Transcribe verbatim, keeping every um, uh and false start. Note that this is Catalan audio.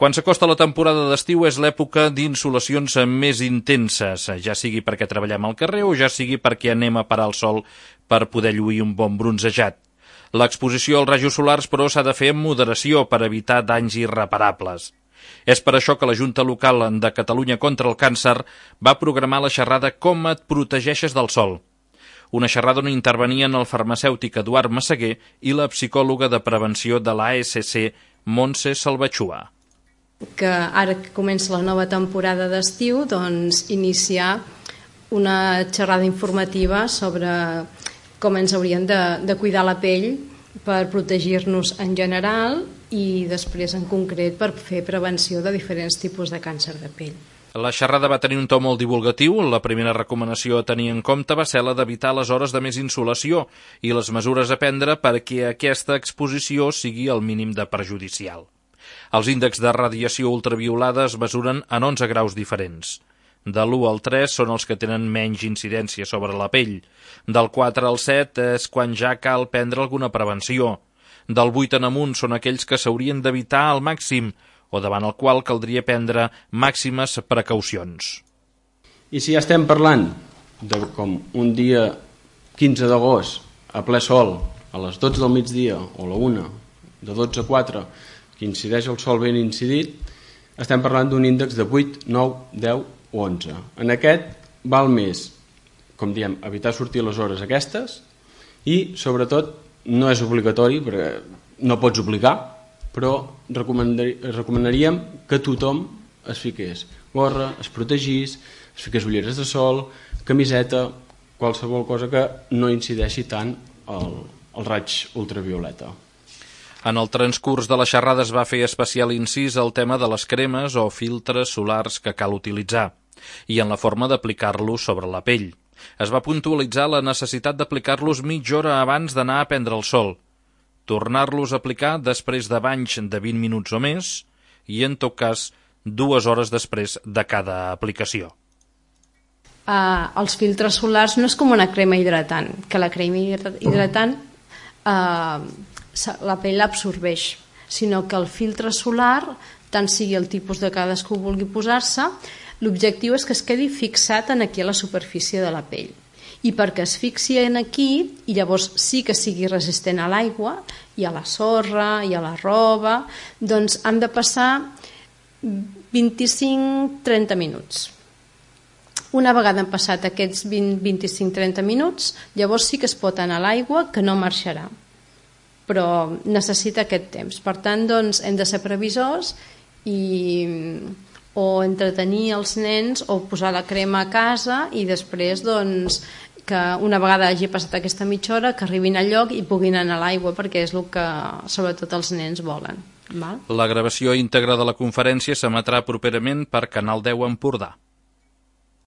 Quan s'acosta la temporada d'estiu és l'època d'insolacions més intenses, ja sigui perquè treballem al carrer o ja sigui perquè anem a parar el sol per poder lluir un bon bronzejat. L'exposició als rajos solars, però, s'ha de fer amb moderació per evitar danys irreparables. És per això que la Junta Local de Catalunya contra el Càncer va programar la xerrada Com et protegeixes del sol. Una xerrada on intervenien el farmacèutic Eduard Massaguer i la psicòloga de prevenció de l'A S C, Montse Salvatxua. Que ara que comença la nova temporada d'estiu, doncs iniciar una xerrada informativa sobre com ens hauríem de, de cuidar la pell per protegir-nos en general i després en concret per fer prevenció de diferents tipus de càncer de pell. La xerrada va tenir un to molt divulgatiu. La primera recomanació a tenir en compte va ser la d'evitar les hores de més insolació i les mesures a prendre perquè aquesta exposició sigui el mínim de perjudicial. Els índexs de radiació ultraviolada es mesuren en onze graus diferents. De l'u al tres són els que tenen menys incidència sobre la pell. Del quatre al set és quan ja cal prendre alguna prevenció. Del vuit en amunt són aquells que s'haurien d'evitar al màxim o davant el qual caldria prendre màximes precaucions. I si ja estem parlant de com un dia quinze d'agost a ple sol, a les dotze del migdia o a la una, de dotze a quatre, que incideix el sol ben incidit, estem parlant d'un índex de vuit, nou, deu o onze. En aquest val més, com diem, evitar sortir a les hores aquestes i, sobretot, no és obligatori, perquè no pots obligar, però recomanaríem que tothom es fiqués gorra, es protegís, es fiqués ulleres de sol, camiseta, qualsevol cosa que no incideixi tant el, el raig ultravioleta. En el transcurs de la xerrada es va fer especial incís al tema de les cremes o filtres solars que cal utilitzar i en la forma d'aplicar-los sobre la pell. Es va puntualitzar la necessitat d'aplicar-los mitja hora abans d'anar a prendre el sol, tornar-los a aplicar després de banys de vint minuts o més i, en tot cas, dues hores després de cada aplicació. Uh, els filtres solars no és com una crema hidratant, que la crema hidratant uh, la pell l'absorbeix, sinó que el filtre solar, tant sigui el tipus de cadascú vulgui posar-se, l'objectiu és que es quedi fixat en aquí a la superfície de la pell. I perquè es fixi en aquí, i llavors sí que sigui resistent a l'aigua i a la sorra i a la roba, doncs han de passar vint-i-cinc a trenta minuts. Una vegada han passat aquests vint, vint-i-cinc a trenta minuts, llavors sí que es pot anar a l'aigua, que no marxarà, però necessita aquest temps. Per tant, doncs, hem de ser previsors i o entretenir els nens o posar la crema a casa i després, doncs, que una vegada hagi passat aquesta mitja hora que arribin al lloc i puguin anar a l'aigua, perquè és el que sobretot els nens volen. Val? La gravació íntegra de la conferència s'emetrà properament per Canal deu Empordà.